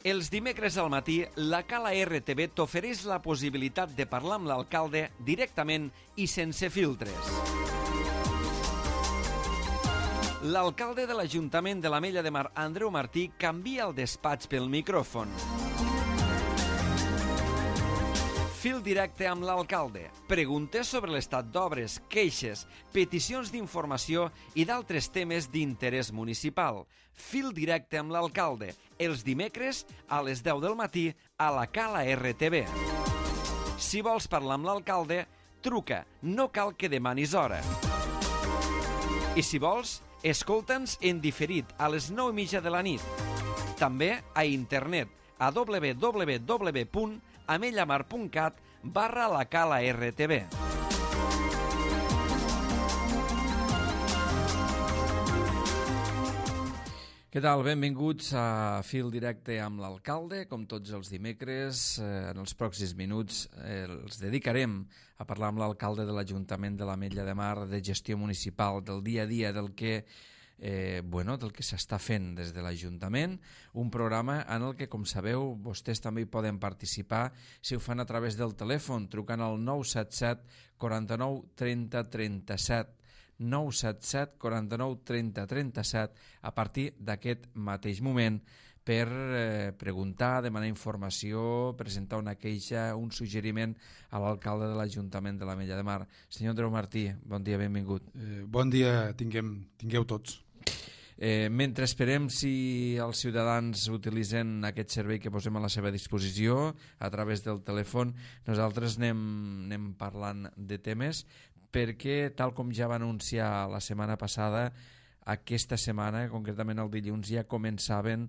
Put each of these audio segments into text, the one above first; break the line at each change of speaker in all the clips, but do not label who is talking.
Els dimecres al matí, la Cala RTV t'ofereix la possibilitat de parlar amb l'alcalde directament i sense filtres. L'alcalde de l'Ajuntament de l'Ametlla de Mar, Andreu Martí, canvia el despatx pel micròfon. Fil directe amb l'alcalde. Preguntes sobre l'estat d'obres, queixes, peticions d'informació i d'altres temes d'interès municipal. Fil directe amb l'alcalde. Els dimecres a les 10 del matí a la Cala RTV. Si vols parlar amb l'alcalde, truca. No cal que demanis hora. I si vols, escolta'ns en diferit a les 9:30 de la nit. També a internet a www.amellamar.cat/la Cala RTV. Què tal? Benvinguts a Fil Directe amb l'alcalde. Com tots els dimecres, en els pròxims minuts els dedicarem a parlar amb l'alcalde de l'Ajuntament de l'Ametlla de Mar, de gestió municipal, del dia a dia, del que s'està fent des de l'Ajuntament, un programa en el que, com sabeu, vostès també hi poden participar si ho fan a través del telèfon, trucant al 977 49 30 37, 977 49 30 37 a partir d'aquest mateix moment per preguntar, demanar informació, presentar una queixa, un suggeriment a l'alcalde de l'Ajuntament de l'Ametlla de Mar. Senyor Andreu Martí, bon dia, benvingut.
Bon dia, tingueu tots.
Mentre esperem si els ciutadans utilitzen aquest servei que posem a la seva disposició a través del telèfon, nosaltres anem parlant de temes perquè, tal com ja va anunciar la setmana passada, aquesta setmana, concretament el dilluns, ja començaven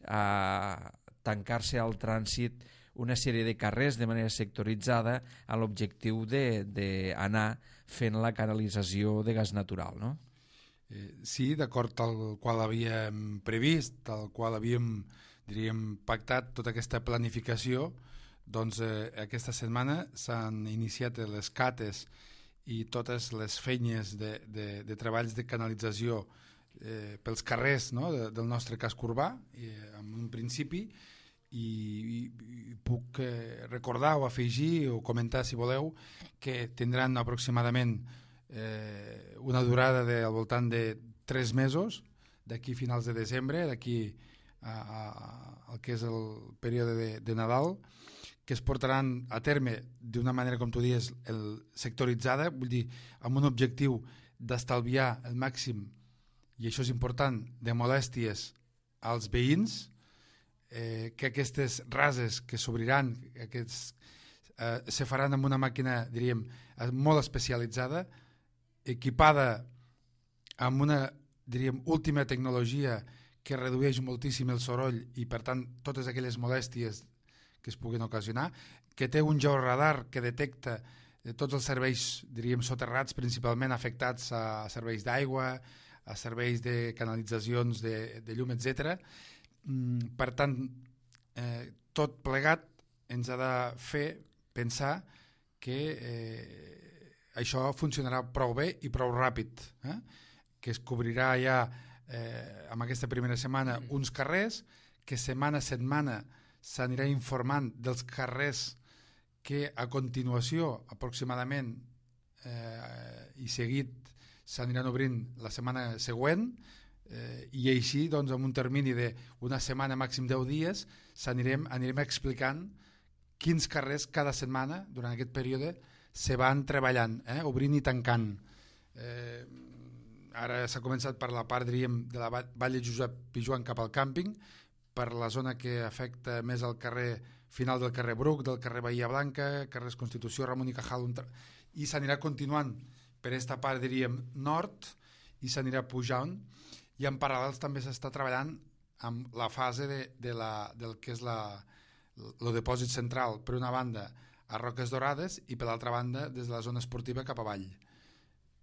a tancar-se al trànsit una sèrie de carrers de manera sectoritzada amb l'objectiu d'anar fent la canalització de gas natural, no?
Sí, d'acord, tal qual havíem previst, tal qual havíem, diríem, pactat tota aquesta planificació, doncs aquesta setmana s'han iniciat les cates i totes les feines de treballs de canalització pels carrers, no?, del nostre casc urbà, en un principi, i puc recordar o afegir o comentar, si voleu, que tindran aproximadament una durada al voltant de 3 mesos, d'aquí a finals de desembre, d'aquí al que és el període de Nadal, que es portaran a terme d'una manera, com tu dius, sectoritzada, vull dir, amb un objectiu d'estalviar el màxim, i això és important, de molèsties als veïns, que aquestes rases que s'obriran, se faran amb una màquina, diríem, molt especialitzada, equipada amb una, diríem, última tecnologia que redueix moltíssim el soroll i, per tant, totes aquelles molèsties que es puguin ocasionar, que té un georadar que detecta tots els serveis, diríem, soterrats, principalment afectats a serveis d'aigua, a serveis de canalitzacions de llum, etc. Per tant, tot plegat ens ha de fer pensar que això funcionarà prou bé i prou ràpid, que es cobrirà ja en aquesta primera setmana uns carrers, que setmana a setmana s'anirà informant dels carrers que a continuació, aproximadament, i seguit s'aniran obrint la setmana següent, i així, doncs, en un termini d'una setmana, màxim 10 dies, anirem explicant quins carrers cada setmana, durant aquest període, se van treballant, obrint i tancant. Ara s'ha començat per la part, diríem, de la Vall de Josep Pijoan cap al càmping, per la zona que afecta més al carrer final del carrer Bruc, del carrer Bahia Blanca, carrers Constitució, Ramon i Cajal, i s'anirà continuant per aquesta part, diríem, nord, i s'anirà pujant, i en paral·lels també s'està treballant amb la fase del que és el depòsit central, per una banda a Roques Dorades i per l'altra banda des de la zona esportiva cap avall.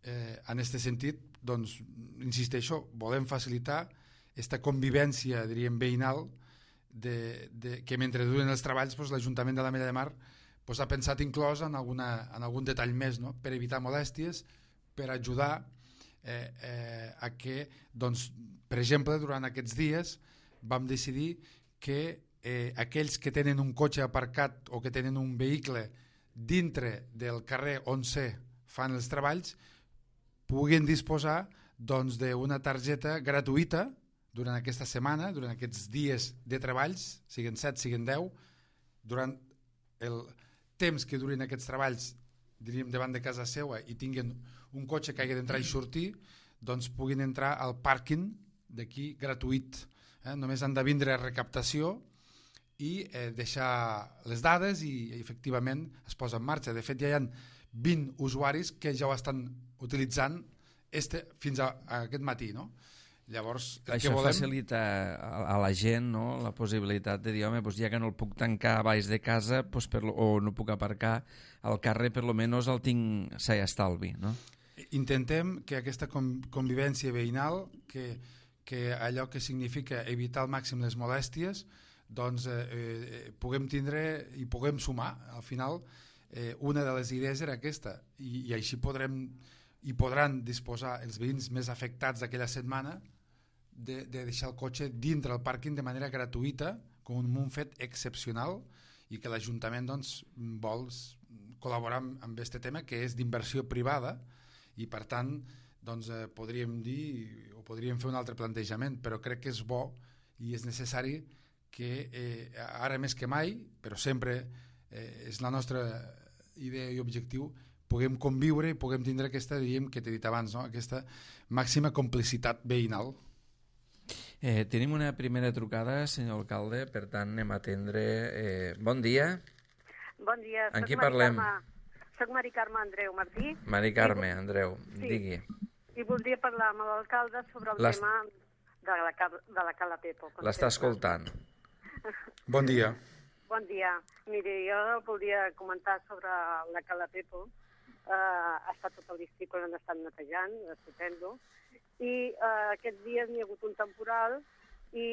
En aquest sentit, doncs, insisteixo, volem facilitar aquesta convivència, diríem, veïnal, que mentre duren els treballs, l'Ajuntament de l'Ametlla de Mar ha pensat inclòs en algun detall més, no?, per evitar molèsties, per ajudar a que, doncs, per exemple, durant aquests dies vam decidir que aquells que tenen un cotxe aparcat o que tenen un vehicle dintre del carrer on fan els treballs puguin disposar doncs, d'una targeta gratuïta durant aquesta setmana, durant aquests dies de treballs, siguin 7, siguin 10, durant el temps que durin aquests treballs, diríem, davant de casa seva i tinguin un cotxe que hagi d'entrar i sortir, doncs puguin entrar al pàrquing d'aquí gratuït. Només han de vindre a recaptació i deixar les dades i efectivament es posa en marxa. De fet, ja hi ha 20 usuaris que ja ho estan utilitzant fins a aquest matí, no? Llavors,
això facilita a la gent, no?, la possibilitat de dir, home, doncs ja que no el puc tancar a baix de casa o no puc aparcar al carrer, per lo menos el tinc estalvi, no?
Intentem que aquesta convivència veïnal, que allò que significa evitar al màxim les molèsties, doncs puguem tindre i puguem sumar. Al final, una de les idees era aquesta, i així podran disposar els veïns més afectats d'aquella setmana de deixar el cotxe dintre el pàrquing de manera gratuïta, com un fet excepcional, i que l'Ajuntament doncs, vol col·laborar amb aquest tema, que és d'inversió privada, i per tant doncs, podríem dir o podríem fer un altre plantejament, però crec que és bo i és necessari que ara més que mai, però sempre és la nostra idea i objectiu, puguem conviure i puguem tindre aquesta, diríem, que t'he dit abans, no? Aquesta màxima complicitat veïnal.
Tenim una primera trucada, senyor alcalde, per tant anem a atendre. Bon dia.
Bon dia.
Amb qui parlem?
Soc Mari Carme Andreu Martí.
Mari Carme Andreu,
sí.
Digui.
I voldria parlar amb l'alcalde sobre el tema de la Cala Pepo.
L'està escoltant.
Bon dia.
Bon dia. Miri, jo voldria comentar sobre la Cala Pepo. Ha estat tot l'estiu que l'han estat netejant, estupendo, i aquests dies n'hi ha hagut un temporal i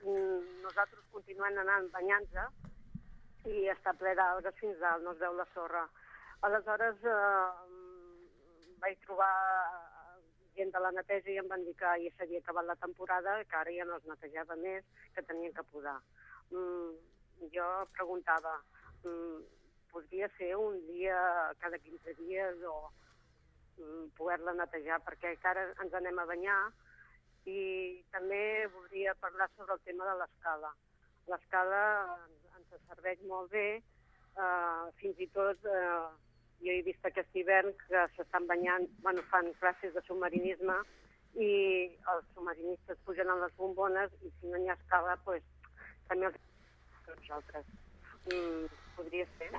nosaltres continuem anant banyant-nos i està ple d'algues fins dalt, no es veu la sorra. Aleshores vaig trobar gent de la neteja i em van dir que ja s'havia acabat la temporada, que ara ja no es netejava més, que tenien que podar. Jo preguntava, podria ser un dia cada 15 dies o poder-la netejar, perquè encara ens anem a banyar. I també voldria parlar sobre el tema de l'escala. L'escala ens serveix molt bé, fins i tot jo he vist aquest hivern que s'estan banyant, fan classes de submarinisme i els submarinistes pugen a les bombones i si no hi ha escala, doncs també els nosaltres. Podria ser?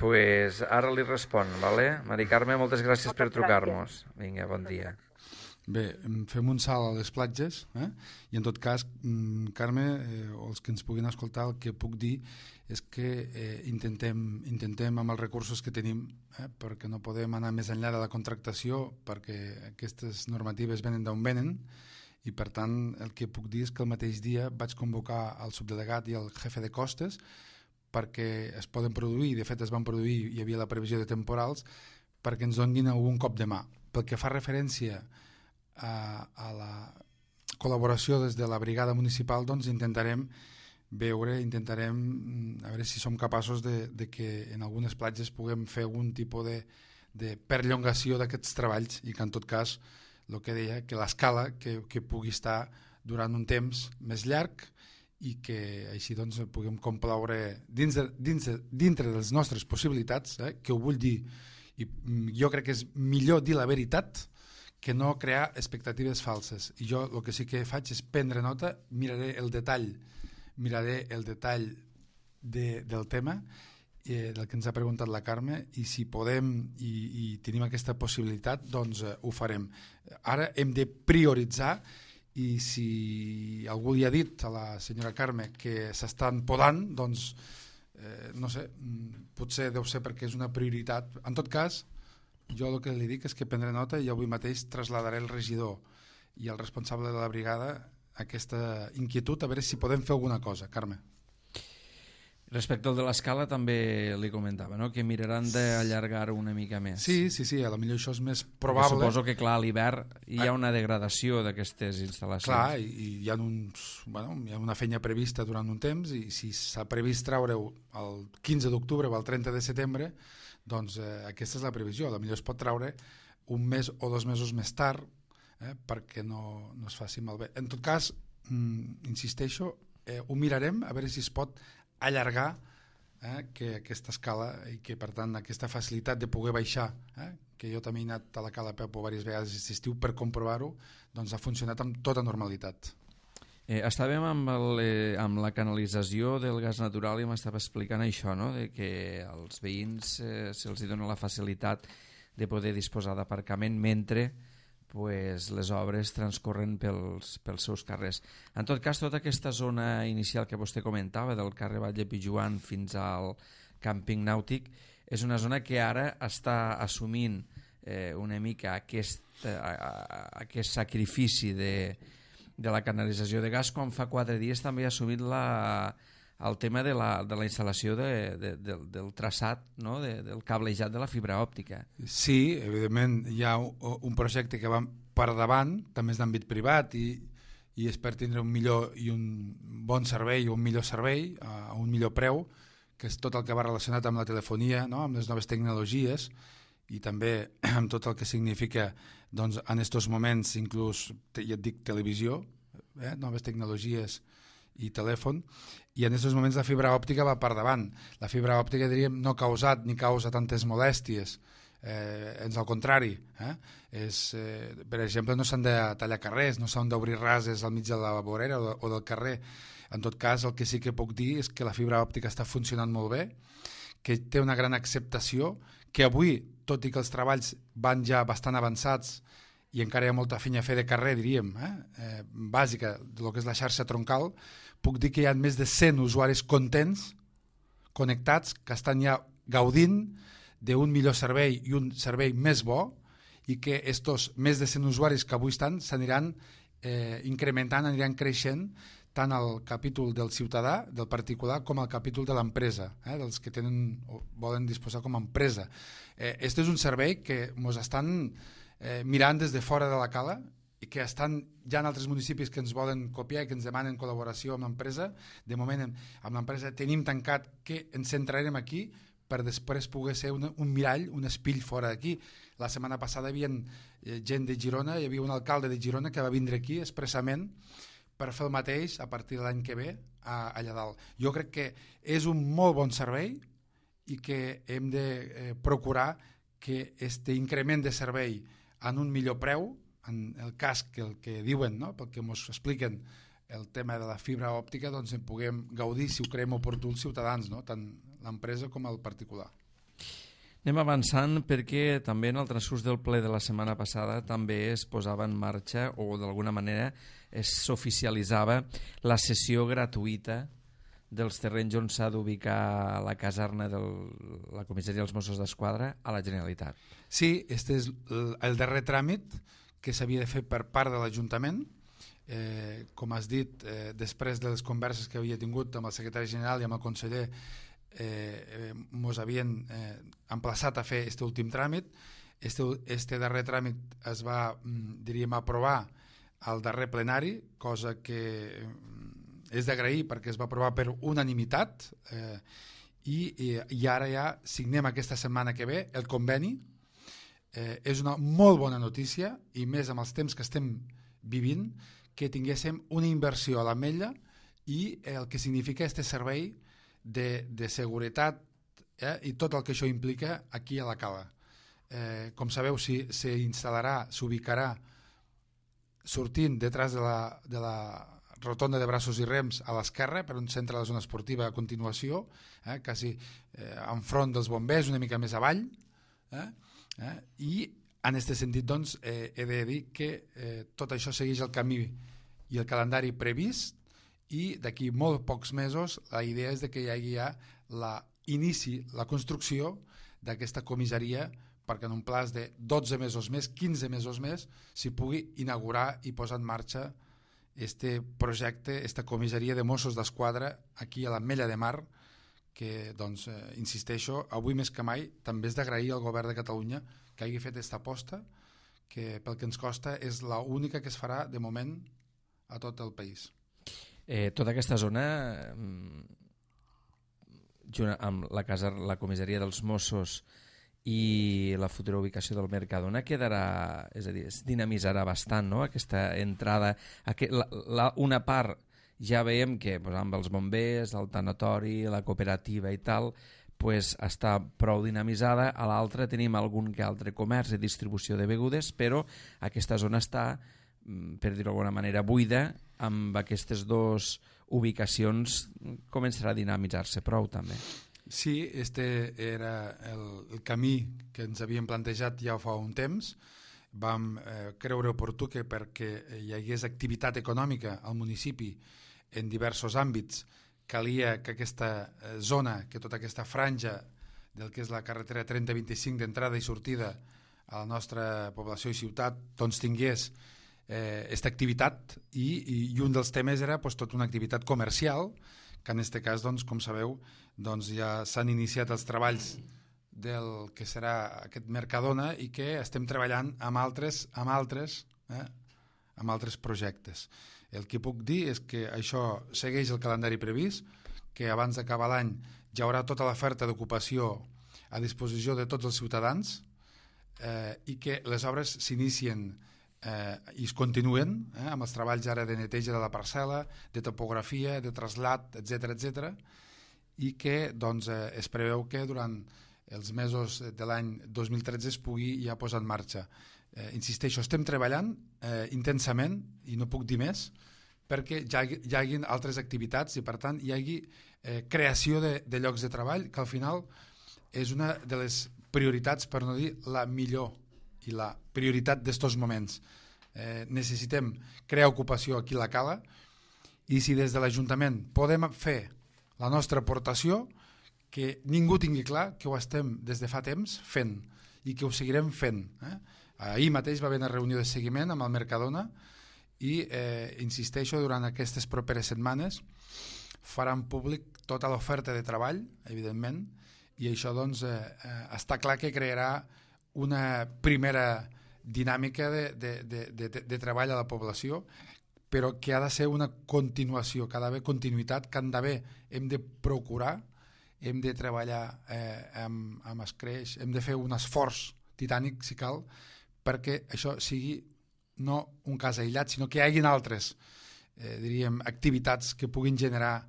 Pues ara li respon, ¿vale? Mari Carme, moltes gràcies per trucar-nos. Vinga, bon dia.
Bé, fem un salt a les platges, i en tot cas, Carme, o els que ens puguin escoltar, el que puc dir és que intentem amb els recursos que tenim, perquè no podem anar més enllà de la contractació, perquè aquestes normatives venen d'on venen, i per tant el que puc dir és que el mateix dia vaig convocar el subdelegat i el jefe de costes perquè es poden produir, de fet es van produir, hi havia la previsió de temporals, perquè ens donin algun cop de mà. Pel que fa referència a la col·laboració des de la brigada municipal, doncs intentarem a veure si som capaços de que en algunes platges puguem fer algun tipus de perllongació d'aquests treballs i que en tot cas, el que deia, que l'escala que pugui estar durant un temps més llarg i que així doncs puguem complaure dintre de les nostres possibilitats, que ho vull dir, i jo crec que és millor dir la veritat que no crear expectatives falses. I jo el que sí que faig és prendre nota, miraré el detall del tema del que ens ha preguntat la Carme, i si podem i tenim aquesta possibilitat, doncs ho farem. Ara hem de prioritzar, i si algú li ha dit a la senyora Carme que s'estan podant, doncs no sé, potser deu ser perquè és una prioritat. En tot cas, jo el que li dic és que prendré nota i avui mateix trasladaré al regidor i al responsable de la brigada aquesta inquietud, a veure si podem fer alguna cosa. Carme.
Respecte al de l'escala també li comentava, no? Que miraran d'allargar-ho una mica més.
Sí, a lo millor això és més
Perquè
probable.
suposo que, clar, a l'hivern hi ha una degradació d'aquestes instal·lacions.
Clar, i hi ha hi ha una feina prevista durant un temps, i si s'ha previst treure-ho el 15 d'octubre o el 30 de setembre, doncs aquesta és la previsió. A lo millor es pot treure un mes o 2 mesos més tard, perquè no es faci malbé. En tot cas, insisteixo, ho mirarem a veure si es pot allargar que aquesta escala, i que per tant aquesta facilitat de poder baixar, que jo també he anat a la Cala Pepo diverses vegades aquest estiu per comprovar-ho, doncs ha funcionat amb tota normalitat.
Estàvem amb la canalització del gas natural i m'estava explicant això, no? De que als veïns se'ls dona la facilitat de poder disposar d'aparcament mentre les obres transcorren pels seus carrers. En tot cas, tota aquesta zona inicial que vostè comentava, del carrer Batlle Pijuan fins al càmping nàutic, és una zona que ara està assumint una mica aquest sacrifici de la canalització de gas, quan fa 4 dies també ha assumit el tema de la instal·lació del traçat, no? Del cablejat de la fibra òptica.
Sí, evidentment hi ha un projecte que va per davant, també és d'àmbit privat, i és per tindre un millor i un bon servei, o un millor servei a un millor preu, que és tot el que va relacionat amb la telefonia, no? Amb les noves tecnologies, i també amb tot el que significa, doncs, en aquests moments, inclús, ja et dic, televisió, noves tecnologies i telèfon, i en aquests moments la fibra òptica va per davant. La fibra òptica, diríem, no ha causat ni causa tantes molèsties, ans al contrari. Per exemple, no s'han de tallar carrers, no s'han d'obrir rases al mig de la vorera o del carrer. En tot cas, el que sí que puc dir és que la fibra òptica està funcionant molt bé, que té una gran acceptació, que avui, tot i que els treballs van ja bastant avançats i encara hi ha molta feina a fer de carrer, diríem, bàsica, del que és la xarxa troncal, puc dir que hi ha més de 100 usuaris contents, connectats, que estan ja gaudint d'un millor servei i un servei més bo, i que estos més de 100 usuaris que avui estan s'aniran incrementant, aniran creixent, tant al capítol del ciutadà, del particular, com al capítol de l'empresa, dels que volen disposar com a empresa. Este és un servei que ens estan mirant des de fora de la cala, i que estan ja en altres municipis que ens volen copiar i que ens demanen col·laboració amb l'empresa. De moment amb l'empresa tenim tancat que ens centrarem aquí per després poder ser un mirall, un espill fora d'aquí. La setmana passada hi havia gent de Girona, hi havia un alcalde de Girona que va vindre aquí expressament per fer el mateix a partir de l'any que ve allà dalt. Jo crec que és un molt bon servei i que hem de procurar que este increment de servei en un millor preu, en el cas que el que diuen, no? Pel que ens expliquen el tema de la fibra òptica, doncs en puguem gaudir, si ho creiem oportú, els ciutadans, no? Tant l'empresa com el particular.
Anem avançant, perquè també en el transcurs del ple de la setmana passada també es posava en marxa, o d'alguna manera s'oficialitzava, la cessió gratuïta dels terrenys on s'ha d'ubicar la caserna de la comissaria dels Mossos d'Esquadra a la Generalitat.
Sí, este és el darrer tràmit que s'havia de fer per part de l'Ajuntament. Com has dit, després de les converses que havia tingut amb el secretari general i amb el conseller, ens havien emplaçat a fer aquest últim tràmit. Este darrer tràmit es va, diríem, aprovar al darrer plenari, cosa que és d'agrair perquè es va aprovar per unanimitat, i ara ja signem aquesta setmana que ve el conveni. És una molt bona notícia, i més amb els temps que estem vivint, que tinguéssim una inversió a l'Ametlla i el que significa este servei de seguretat i tot el que això implica aquí a la cala. Com sabeu, s'instal·larà, s'ubicarà sortint detrás de la rotonda de braços i rems a l'esquerra, per on s'entra la zona esportiva a continuació, quasi enfront dels bombers, una mica més avall, i en aquest sentit, doncs, he de dir que tot això segueix el camí i el calendari previst, i d'aquí molt pocs mesos la idea és que hi hagi ja la construcció d'aquesta comissaria, perquè en un plaç de 12 mesos més, 15 mesos més, s'hi pugui inaugurar i posar en marxa este projecte, esta comissaria de Mossos d'Esquadra aquí a l'Ametlla de Mar, que doncs, insisteixo, avui més que mai també és d'agrair al govern de Catalunya que hagi fet aquesta aposta, que pel que ens costa és l'única que es farà de moment a tot el país.
Tota aquesta zona, junt amb la comissaria dels Mossos i la futura ubicació del Mercadona, quedarà, és a dir, es dinamitzarà bastant, no?, aquesta entrada. Una part ja veiem que amb els bombers, el tanatori, la cooperativa i tal, pues, està prou dinamitzada. A l'altra tenim algun que altre comerç i distribució de begudes, però aquesta zona està, per dir-ho d'alguna manera, buida. Amb aquestes dues ubicacions començarà a dinamitzar-se prou també.
Sí, este era el camí que ens havíem plantejat ja fa un temps. Vam creure oportú que perquè hi hagués activitat econòmica al municipi en diversos àmbits calia que aquesta zona, que tota aquesta franja del que és la carretera 3025 d'entrada i sortida a la nostra població i ciutat doncs tingués aquesta activitat i un dels temes era doncs, tota una activitat comercial que en aquest cas, doncs, com sabeu, doncs, ja s'han iniciat els treballs del que serà aquest Mercadona i que estem treballant amb altres projectes. El que puc dir és que això segueix el calendari previst, que abans d'acabar l'any hi haurà tota l'oferta d'ocupació a disposició de tots els ciutadans i que les obres s'inicien i es continuen amb els treballs ara de neteja de la parcel·la, de topografia, de trasllat, etc i que doncs, es preveu que durant els mesos de l'any 2013 es pugui ja posar en marxa. Insisteixo, estem treballant intensament i no puc dir més perquè hi hagi altres activitats i per tant hi hagi creació de llocs de treball que al final és una de les prioritats, per no dir la millor i la prioritat d'estos moments. Necessitem crear ocupació aquí a la Cala i si des de l'Ajuntament podem fer la nostra aportació, que ningú tingui clar que ho estem des de fa temps fent i que ho seguirem fent. Ahir mateix va haver una reunió de seguiment amb el Mercadona i insisteixo, durant aquestes properes setmanes faran públic tota l'oferta de treball, evidentment, i això doncs està clar que crearà una primera dinàmica de treball a la població, però que ha de ser una continuació, que ha d'haver continuïtat, que hem de procurar, hem de treballar amb escreix, hem de fer un esforç titànic, si cal, perquè això sigui no un cas aïllat, sinó que hi hagin altres activitats que puguin generar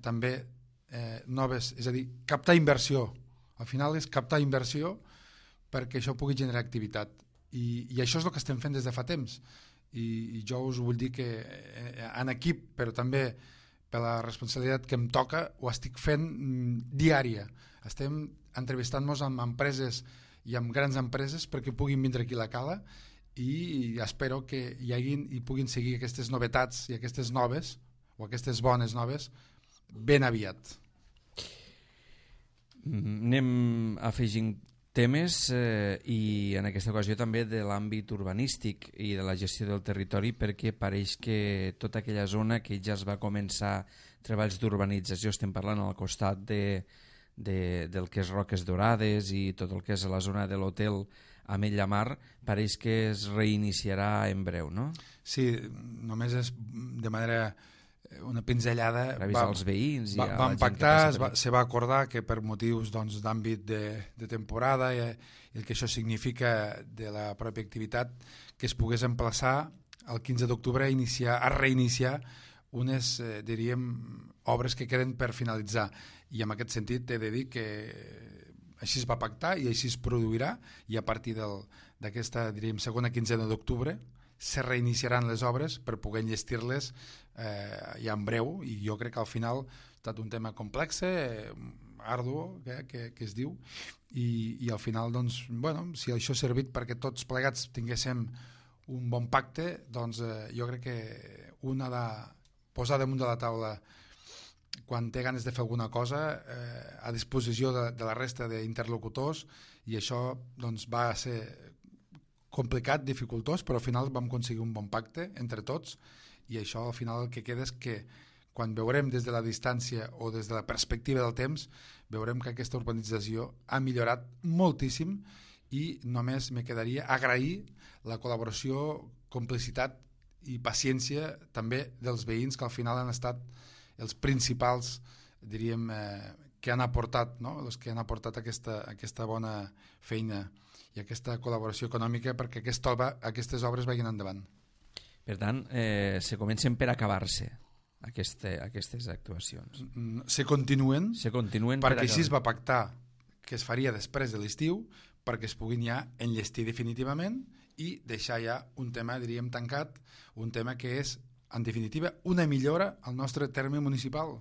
també noves, és a dir, captar inversió. Al final és captar inversió perquè això pugui generar activitat. I això és el que estem fent des de fa temps. I jo us vull dir que en equip, però també per la responsabilitat que em toca, ho estic fent diària. Estem entrevistant-nos amb empreses i amb grans empreses perquè puguin vindre aquí a la Cala i espero que hi puguin seguir aquestes novetats i aquestes noves, o aquestes bones noves, ben aviat.
Anem afegint temes i en aquesta ocasió també de l'àmbit urbanístic i de la gestió del territori, perquè pareix que tota aquella zona que ja es va començar treballs d'urbanització, estem parlant al costat del que és Roques Dorades i tot el que és la zona de l'hotel Ametlla Mar, pareix que es reiniciarà en breu, no?
Sí, només és de manera una pinzellada.
Per avisar els veïns.
Vam pactar, se va acordar que per motius d'àmbit de temporada i el que això significa de la pròpia activitat, que es pogués emplaçar el 15 d'octubre a reiniciar unes, diríem, obres que queden per finalitzar. I en aquest sentit he de dir que així es va pactar i així es produirà, i a partir d'aquesta, diríem, segona quinzena d'octubre se reiniciaran les obres per poder enllestir-les ja en breu, i jo crec que al final ha estat un tema complex, ardu, que es diu, i al final, doncs, bueno, si això ha servit perquè tots plegats tinguéssim un bon pacte, doncs jo crec que un ha de posar damunt de la taula quan té ganes de fer alguna cosa a disposició de la resta d'interlocutors, i això doncs, va ser complicat, dificultós, però al final vam aconseguir un bon pacte entre tots, i això al final el que queda és que quan veurem des de la distància o des de la perspectiva del temps, veurem que aquesta urbanització ha millorat moltíssim i només me quedaria agrair la col·laboració, complicitat i paciència també dels veïns, que al final han estat els principals, diríem, que han aportat, no? Els que han aportat aquesta bona feina i aquesta col·laboració econòmica perquè aquestes obres vagin endavant.
Per tant, se comencen per acabar-se aquestes actuacions.
Se continuen perquè així es va pactar que es faria després de l'estiu, perquè es puguin ja enllestir definitivament i deixar ja un tema, diríem, tancat, un tema que és, en definitiva, una millora al nostre terme municipal.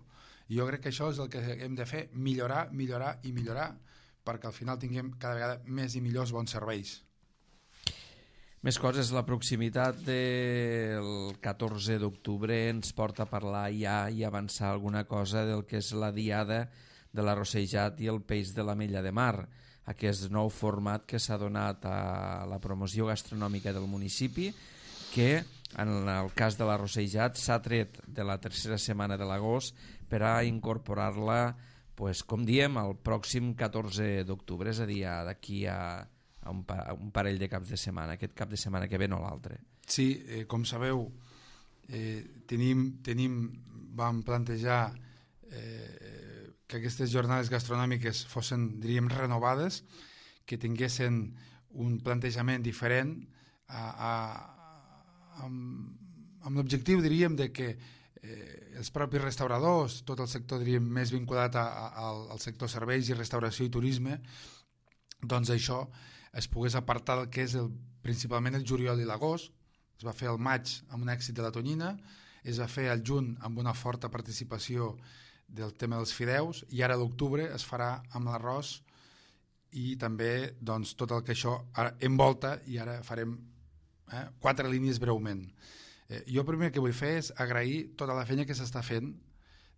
I jo crec que això és el que hem de fer, millorar, millorar i millorar, perquè al final tinguem cada vegada més i millors bons serveis.
Més coses, la proximitat del 14 d'octubre ens porta a parlar ja i avançar alguna cosa del que és la diada de l'arrossejat i el peix de l'Ametlla de Mar, aquest nou format que s'ha donat a la promoció gastronòmica del municipi, que en el cas de l'arrossejat s'ha tret de la tercera setmana de l'agost per a incorporar-la, pues, com diem, el pròxim 14 d'octubre, és a dir, d'aquí a un parell de caps de setmana, aquest cap de setmana que ve no l'altre.
Sí, com sabeu, vam plantejar que aquestes jornades gastronòmiques fossin, diríem, renovades, que tinguessin un plantejament diferent amb l'objectiu, diríem, de que els propis restauradors, tot el sector, diríem, més vinculat al sector serveis i restauració i turisme, doncs això es pogués apartar del que és principalment el juliol i l'agost. Es va fer el maig amb un èxit de la tonyina, es va fer el juny amb una forta participació del tema dels fideus, i ara l'octubre es farà amb l'arròs i també, doncs, tot el que això envolta, i ara farem 4 línies breument. Jo el primer que vull fer és agrair tota la feina que s'està fent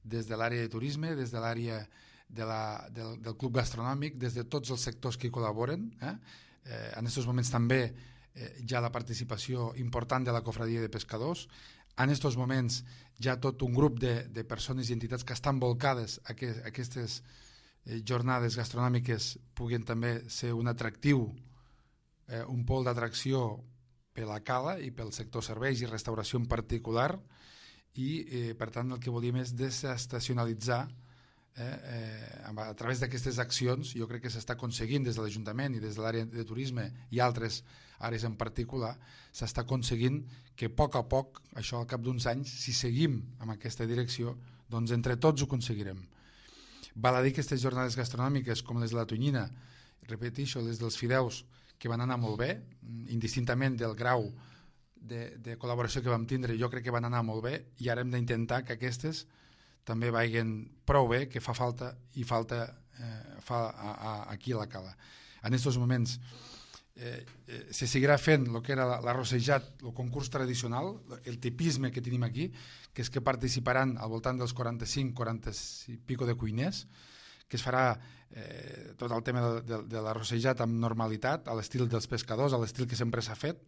des de l'àrea de turisme, des de l'àrea del club gastronòmic, des de tots els sectors que hi col·laboren. En aquests moments també hi ha la participació important de la Cofradia de Pescadors. En aquests moments hi ha tot un grup de persones i entitats que estan volcades a que aquestes jornades gastronòmiques puguin també ser un atractiu, un pol d'atracció per la cala i pel sector serveis i restauració en particular, i per tant el que volíem és desestacionalitzar a través d'aquestes accions. Jo crec que s'està aconseguint des de l'Ajuntament i des de l'àrea de turisme i altres àrees en particular, s'està aconseguint que a poc, això al cap d'uns anys, si seguim en aquesta direcció, doncs entre tots ho aconseguirem. Val a dir que aquestes jornades gastronòmiques, com les de la tonyina, repeteixo, les dels fideus, que van anar molt bé, indistintament del grau de col·laboració que vam tindre, jo crec que van anar molt bé, i ara hem d'intentar que aquestes també vagin prou bé, que fa falta aquí a la cala. En aquests moments se seguirà fent el que era l'arrossejat, el concurs tradicional, el tipisme que tenim aquí, que és que participaran al voltant dels 40 i pico de cuiners, que es farà tot el tema de l'arrossejat amb normalitat, a l'estil dels pescadors, a l'estil que sempre s'ha fet,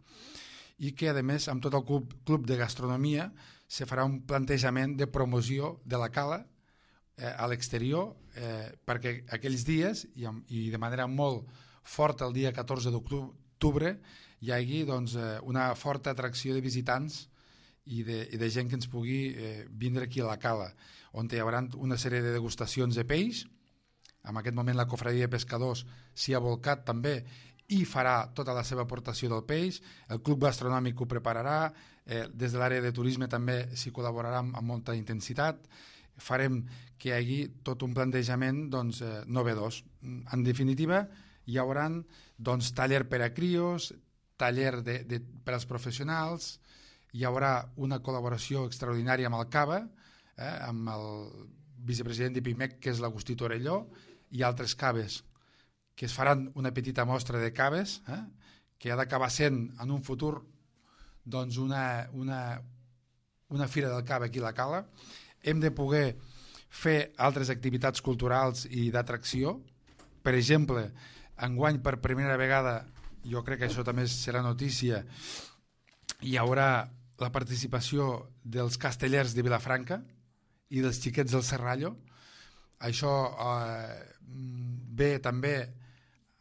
i que, a més, amb tot el club de gastronomia se farà un plantejament de promoció de la cala a l'exterior, perquè aquells dies, i de manera molt forta el dia 14 d'octubre, hi hagi doncs, una forta atracció de visitants i de gent que ens pugui vindre aquí a la cala, on hi haurà una sèrie de degustacions de peix. En aquest moment la Cofradia de Pescadors s'hi ha volcat també i farà tota la seva aportació del peix, el club gastronòmic ho prepararà, des de l'àrea de turisme també s'hi col·laborarà amb molta intensitat, farem que hi hagi tot un plantejament doncs, novedós. En definitiva, hi haurà doncs, taller per a crios, taller per als professionals, hi haurà una col·laboració extraordinària amb el CABA, amb el vicepresident de PIMEC, que és l'Agustí Torelló, i altres caves, que es faran una petita mostra de caves, que ha d'acabar sent en un futur doncs una fira del cava aquí a la cala. Hem de poder fer altres activitats culturals i d'atracció. Per exemple, enguany per primera vegada, jo crec que això també serà notícia, hi haurà la participació dels castellers de Vilafranca i dels xiquets del Serrallo. Això ve també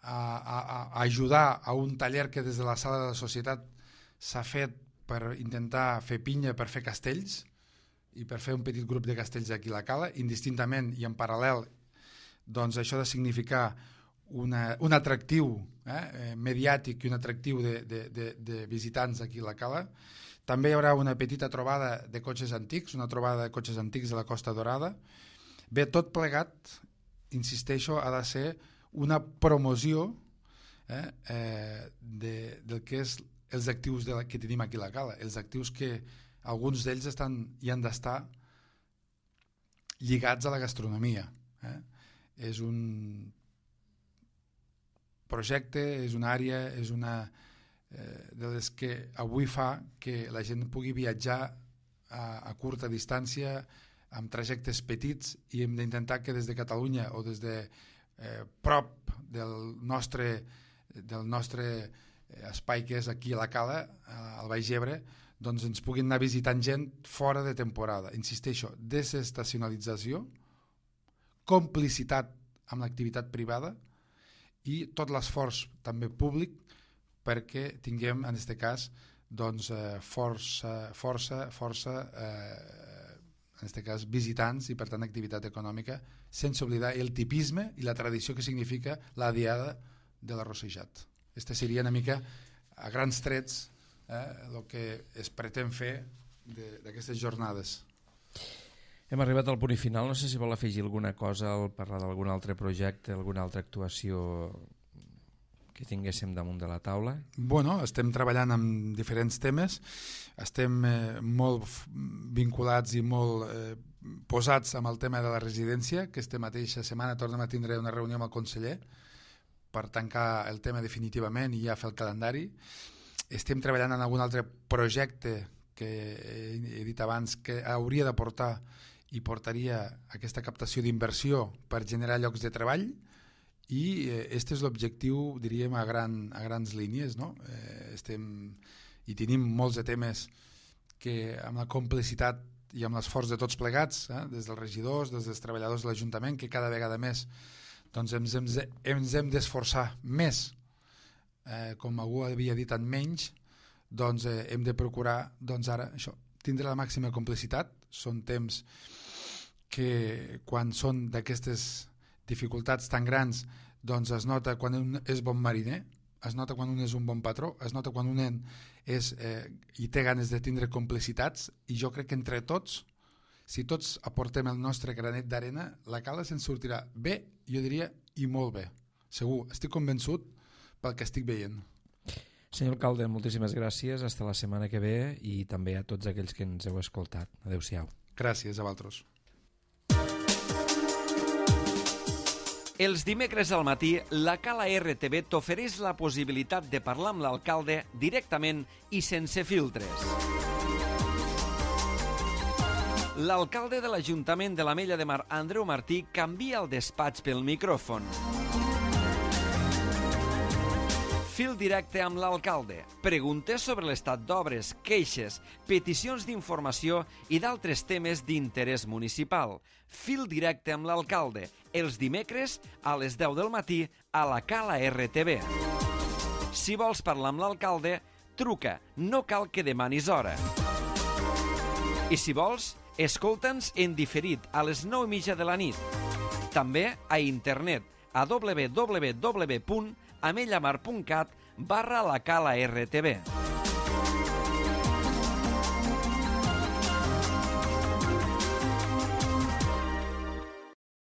a ajudar a un taller que des de la Sala de la Societat s'ha fet per intentar fer pinya per fer castells i per fer un petit grup de castells aquí a la Cala, indistintament i en paral·lel. Doncs això ha de significar un atractiu mediàtic i un atractiu de visitants aquí a la Cala. També hi haurà una petita trobada de cotxes antics, una trobada de cotxes antics de la Costa Dorada. Bé, tot plegat, insisteixo, ha de ser una promoció del que és els actius que tenim aquí a la Cala, els actius que alguns d'ells hi han d'estar lligats a la gastronomia. És un projecte, és una àrea, és una de les que avui fa que la gent pugui viatjar a curta distància, amb trajectes petits, i hem d'intentar que des de Catalunya o des de prop del nostre espai que és aquí a la Cala, al Baix Ebre, doncs ens puguin anar visitant gent fora de temporada. Insisteixo, desestacionalització, complicitat amb l'activitat privada i tot l'esforç també públic perquè tinguem, en aquest cas, doncs, força en aquest cas, visitants i, per tant, activitat econòmica, sense oblidar el tipisme i la tradició que significa la diada de l'arrossejat. Aquesta seria una mica, a grans trets, el que es pretén fer d'aquestes jornades.
Hem arribat al punt final. No sé si vol afegir alguna cosa al parlar d'algun altre projecte, alguna altra actuació que tinguéssim damunt de la taula.
Bueno, estem treballant amb diferents temes, estem molt vinculats i molt posats amb el tema de la residència. Aquesta mateixa setmana tornem a tindre una reunió amb el conseller per tancar el tema definitivament i ja fer el calendari. Estem treballant en algun altre projecte que he dit abans que hauria de portar i portaria aquesta captació d'inversió per generar llocs de treball, i aquest és l'objectiu, diríem, a grans línies, no? I tenim molts de temes que amb la complicitat i amb l'esforç de tots plegats, des dels regidors, des dels treballadors de l'Ajuntament, que cada vegada més doncs ens hem d'esforçar més, com algú havia dit, en menys, doncs hem de procurar ara això, tindre la màxima complicitat. Són temps que quan són d'aquestes dificultats tan grans, doncs es nota quan un és bon mariner, es nota quan un és un bon patró, es nota quan un i té ganes de tindre complicitats, i jo crec que entre tots, si tots aportem el nostre granet d'arena, la Cala se'n sortirà bé, jo diria, i molt bé. Segur, estic convençut pel que estic veient.
Senyor alcalde, moltíssimes gràcies, hasta la setmana que ve, i també a tots aquells que ens heu escoltat. Adéu-siau.
Gràcies a vosaltres.
Els dimecres al matí, la Cala RTV t'ofereix la possibilitat de parlar amb l'alcalde directament i sense filtres. L'alcalde de l'Ajuntament de l'Ametlla de Mar, Andreu Martí, canvia el despatx pel micròfon. Fil directe amb l'alcalde. Preguntes sobre l'estat d'obres, queixes, peticions d'informació i d'altres temes d'interès municipal. Fil directe amb l'alcalde. Els dimecres a les 10 del matí a la Cala RTV. Si vols parlar amb l'alcalde, truca. No cal que demanis hora. I si vols, escolta'ns en diferit a les 9:30 de la nit. També a internet a www.amellamar.cat/la Cala RTV.